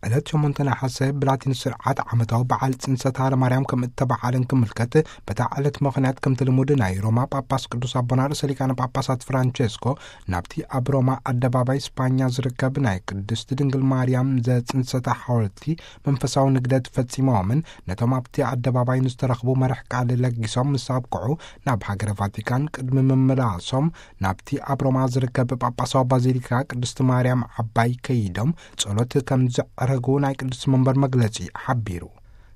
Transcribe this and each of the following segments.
ዕለት ሸሞንተ ነሓሰ ብላቲን ስርዓት ዓመታዊ በዓል ጽንሰት ሃለ ማርያም ከም እተበዓለን ክምልከት፣ በታ ዕለት ምኽንያት ከምቲ ልሙድ ናይ ሮማ ጳጳስ ቅዱስ ኣቦና ርእሰ ሊቃነ ጳጳሳት ፍራንቸስኮ ናብቲ ኣብ ሮማ ኣደባባይ ስጳኛ ዝርከብ ናይ ቅድስቲ ድንግል ማርያም ዘጽንሰታ ሓወልቲ መንፈሳዊ ንግደት ፈጺሞምን ነቶም ኣብቲ ኣደባባይ ንዝተረኽቡ መርሕ ቃል ለጊሶም ምስ ኣብቅዑ፣ ናብ ሃገረ ቫቲካን ቅድሚ ምምላሶም ናብቲ ኣብ ሮማ ዝርከብ ጳጳሳዊ ባዚሊካ ቅድስቲ ማርያም ዓባይ ከይዶም ጸሎት ከም ዘዕረጉ ናይ ቅዱስ መንበር መግለጺ ሓቢሩ።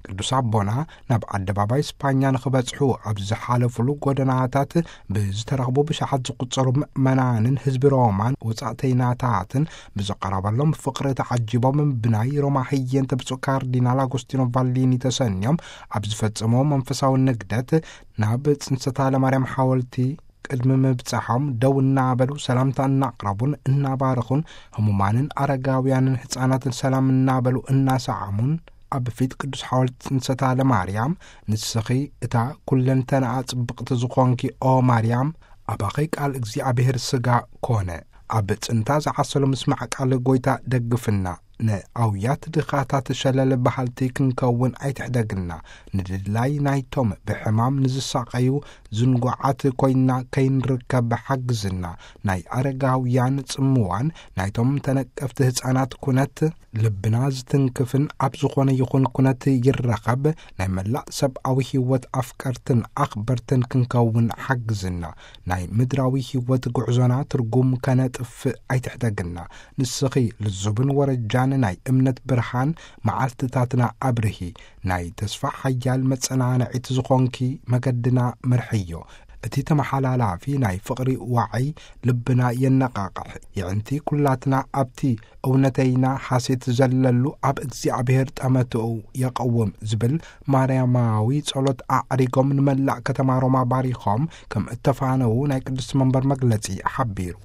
ቅዱስ ኣቦና ናብ ኣደባባይ ስፓኛ ንኽበጽሑ ኣብ ዝሓለፉሉ ጎደናታት ብዝተረኽቡ ብሽሓት ዝቑጸሩ ምእመናንን ህዝቢ ሮማን ወጻእተይናታትን ብዝቐረበሎም ፍቕሪ ተዓጂቦም፣ ብናይ ሮማ ህየንተ ብፁዕ ካርዲናል ኣጎስቲኖ ቫሊኒ ተሰንዮም ኣብ ዝፈጸምዎ መንፈሳዊ ንግደት ናብ ጽንሰታ ለማርያም ሓወልቲ ቅድሚ ምብጻሖም ደው እናበሉ ሰላምታ እናቕረቡን እናባረኹን፣ ህሙማንን ኣረጋውያንን ህፃናትን ሰላም እናበሉ እናሰዓሙን፣ ኣብ ፊት ቅዱስ ሓወልቲ ጽንሰታ ለማርያም፣ "ንስኺ እታ ኩለንተናኣ ጽብቕቲ ዝኾንኪ ኦ ማርያም፣ ኣባኺ ቃል እግዚኣብሔር ስጋ ኮነ። ኣብ ጽንታ ዝዓሰሉ ምስማዕ ቃል ጎይታ ደግፍና። ንኣውያት ድኻታት ሸለል በሃልቲ ክንከውን ኣይትሕደግና። ንድላይ ናይቶም ብሕማም ንዝሳቐዩ ዝንጓዓት ኮይና ከይንርከብ ሓግዝና። ናይ ኣረጋውያን ጽምዋን ናይቶም ተነቀፍቲ ህፃናት ኩነት ልብና ዝትንክፍን ኣብ ዝኾነ ይኹን ኩነት ይረኸብ ናይ መላእ ሰብኣዊ ህይወት ኣፍቀርትን ኣኽበርትን ክንከውን ሓግዝና። ናይ ምድራዊ ህይወት ጉዕዞና ትርጉም ከነጥፍእ ኣይትሕደግና። ንስኺ ልዙብን ወረጃን ናይ እምነት ብርሃን መዓልትታትና ኣብርሂ። ናይ ተስፋ ሓያል መጸናንዒት ዝኾንኪ መገድና ምርሕዮ። እቲ ተመሓላላፊ ናይ ፍቕሪ ዋዒ ልብና የነቓቕሕ። የዕንቲ ኩላትና ኣብቲ እውነተይና ሓሴት ዘለሉ ኣብ እግዚኣብሔር ጠመትኡ የቐውም" ዝብል ማርያማዊ ጸሎት ኣዕሪጎም ንመላእ ከተማ ሮማ ባሪኾም ከም እተፋነዉ ናይ ቅድስቲ መንበር መግለጺ ሓቢሩ።